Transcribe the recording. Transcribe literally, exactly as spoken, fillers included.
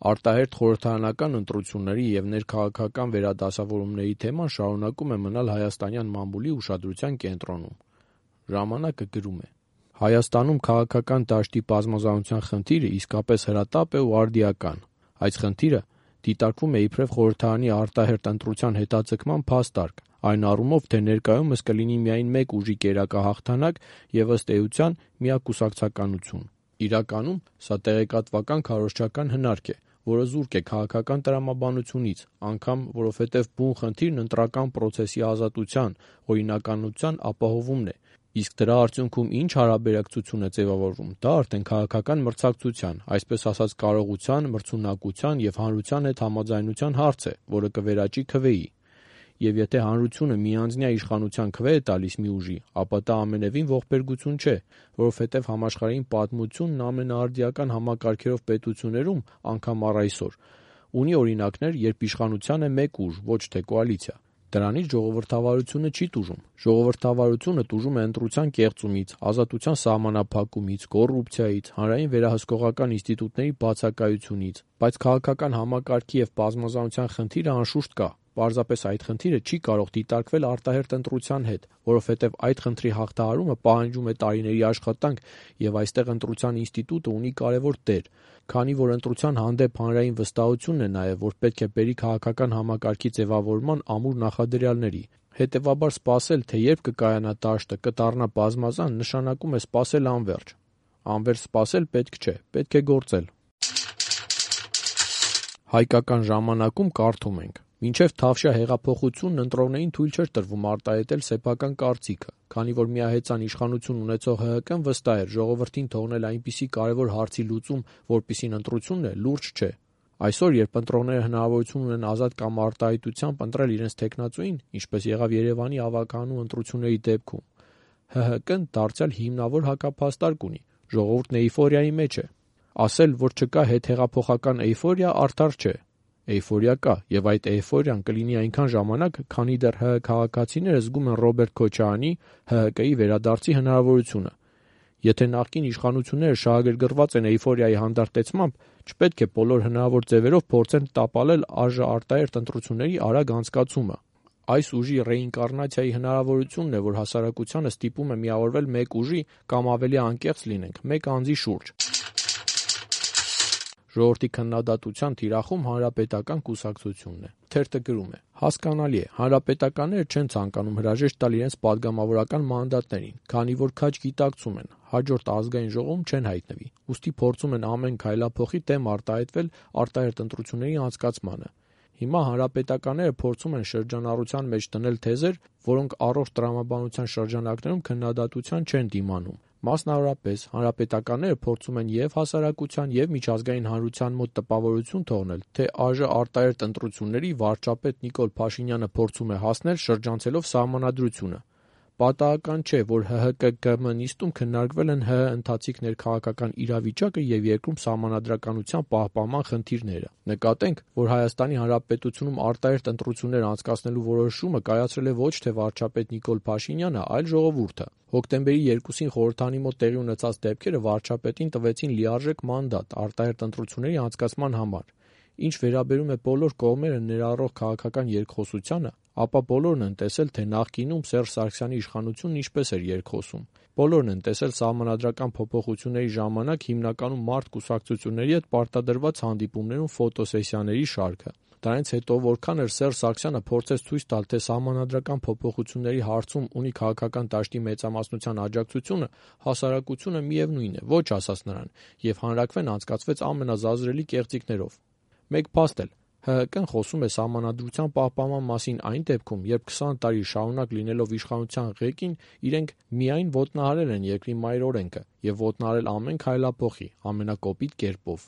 Արտահերթ խորհրդարանական ընտրությունների և ներքաղաքական վերադասավորումների թեման շարունակում է մնալ հայաստանյան մամուլի ուշադրության կենտրոնում։ Ժամանակը գրում է. Հայաստանում քաղաքական դաշտի բազմազանության խնդիրը իսկապես հրատապ է ու արդիական։ Այս խնդիրը դիտարկվում է իբրև խորհրդարանի արտահերթ ընտրության հետաձգման փաստարկ, այն առումով, թե ներկայումս կլինի միայն մեկ ուժի կերակահաղթանակ և ըստ էության միակուսակցականություն։ Իրականում սա տեղեկատվական քարոզչական հնարք է, որը զուրկ է քաղաքական տրամաբանությունից, անգամ որովհետև բուն խնդիրն ընտրական պրոցեսի ազատության, օրինականության ապահովումն է, իսկ դրա արդյունքում ինչ հարաբերակցություն է ձևավորվում, դա արդեն քաղաքական մրցակցության, այսպես ասած կարողության, մրցունակության և հանրության հետ համաձայնության հարց է, որը կվերաճի քվեի։ Եվ եթե հանրությունը միանձնյա իշխանության քվե է տալիս մի ուժի, ապա դա ամենևին ողբերգություն չէ, որովհետև համաշխարհային պատմությունն ամենաարդիական համակարգերով պետություններում, անգամ առ այսօր, ունի օրինակներ, երբ իշխանության է մեկ ուժ, ոչ թե կոալիցիա։ Դրանից ժողովրդավարությունը չի տուժում։ Ժողովրդավարությունը տուժում է ընտրության կեղծումից, ազատության սահմանափակումից, կոռուպցիայից, հանրային վերահսկողական ինստիտուտների բացակայությունից, բայց քաղաքական համակարգի և բազմազանության խնդիրը անշուշտ կա։ Պարզապես այդ խնդիրը չի կարող դիտարկվել արտահերթ ընտրության հետ, որովհետև այդ խնդրի հաղթահարումը պահանջում է տարիների աշխատանք և այստեղ ընտրության ինստիտուտը ունի կարևոր դեր, քանի որ ընտրության հանդեպ հանրային վստահությունն է նաև, որ պետք է բերի քաղաքական համակարգի ձևավորման ամուր նախադրյալների։ Հետևաբար սպասել, թե երբ կկայանա դաշտը, կդառնա բազմազան, նշանակում է սպասել անվերջ։ Անվերջ սպասել պետք չէ, պետք է գործել։ Հայկական ժամանակում կարդում ենք. Մինչև Թավշյա հեղափոխությունն ընտրողներին թույլ չէր տրվում արտահայտել սեփական կարծիքը, քանի որ միահեծան իշխանություն ունեցող ՀՀԿ-ն վստահ էր ժողովրդին թողնել այնպիսի կարևոր հարցի լուծում, որպիսին ընտրությունն է, լուրջ չէ։ Այսօր, երբ ընտրողները հնարավորություն ունեն ազատ կամ արտահայտությամբ ընտրել իրենց թեկնածուին, ինչպես եղավ Երևանի ավականու ընտրությունների դեպքում, ՀՀԿ-ն դարձյալ հիմնավոր հակափաստարկ ունի, ժողովուրդն էյֆորիայի մեջ է։ Ասել, որ չկա հետհեղափոխական էյֆորիա, արդար չէ։ Էյֆորիա կա, և այդ էյֆորիան կլինի այնքան ժամանակ, քանի դեռ ՀՀ քաղաքացիները զգում են Ռոբերտ Քոչարյանի՝ ՀՀԿ-ի վերադարձի հնարավորությունը։ Եթե նախկին իշխանությունները շահագրգռված են էյֆորիայի հանդարտեցմամբ, չպետք է բոլոր հնարավոր ձևերով փորձեն տապալել ԱԺ արտահերթ ընտրությունների արագ անցկացումը։ Այս ուժի ռեինկարնացիայի հնարավորությունն է, որ հասարակությանը ստիպում է միավորվել մեկ ուժի կամ, ավելի անկեղծ լինենք, մեկ անձի շուրջ։ Ժողովրդի քննադատության թիրախում Հանրապետական կուսակցությունն է։ Թերթը գրում է. հասկանալի է, հանրապետականները չեն ցանկանում հրաժեշտ տալ իրենց պատգամավորական մանդատներին, քանի որ քաջ գիտակցում են, հաջորդ ազգային ժողովում չեն հայտնվի, ուստի փորձում են ամեն քայլափոխի դեմ արտահայտվել արտահերթ ընտրությունների անցկացմանը։ Հիմա հանրապետականները փորձում են շրջանառության մեջ դնել թեզեր, որոնք առողջ տրամաբանության շրջանակներում քննադատության չեն դիմանում։ Մասնավորապես, հանրապետականները փորձում են և հասարակության, և միջազգային հանրության մոտ տպավորություն թողնել, թե ԱԺ արտահերթ ընտրությունների վարչապետ Նիկոլ Փաշինյանը փորձում է հասնել շրջանցելով Սահմանադրությունը։ Պատահական չէ, որ ՀՀԿ-ԳՄ նիստում քննարկվել են ՀՀ ընթացիկ ներքաղաքական իրավիճակը և երկրում սահմանադրականության պահպանման խնդիրները։ Նկատենք, որ Հայաստանի Հանրապետությունում արտահերթ ընտրություններ անցկացնելու որոշումը կայացրել է ոչ թե վարչապետ Նիկոլ Փաշինյանը, այլ ժողովուրդը։ Հոկտեմբերի երկուսին խորհրդարանի մոտ տեղի ունեցած դեպքերը վարչապետին տվեցին լիարժեք մանդատ արտահերթ ընտրությունների անցկացման համար։ Ինչ վերաբերում է բոլոր կողմերը ներառող քաղաքական երկխոսությանը, ապա բոլորն են տեսել, թե նախկինում Սերժ Սարգսյանի իշխանությունն ինչպես էր երկխոսում։ Բոլորն են տեսել սահմանադրական փոփոխությունների ժամանակ հիմնականում մարդ կուսակցությունների հետ պարտադրված հանդիպումներում ֆոտոսեսիաների շարքը։ Դրանից հետո որքան էր Սերժ Սարգսյանը փորձեց ցույց տալ, թե սահմանադրական փոփոխությունների հարցում ունի քաղաքական դաշտի մեծամասնության աջակցությունը, հասարակությունը միևնույն է, ոչ ասաց նրան, և հանրաքվեն անցկացվեց ամենազազրելի կեղծիքներով։ Մեկ փաստ էլ ՀՀԿ-ն խոսում է սահմանադրության պահպանման մասին այն դեպքում, երբ քսան տարի շարունակ լինելով իշխանության ղեկին, իրենք միայն ոտնահարել են երկրի մայր օրենքը և ոտնահարել ամեն քայլափոխի, ամենակոպիտ կերպով։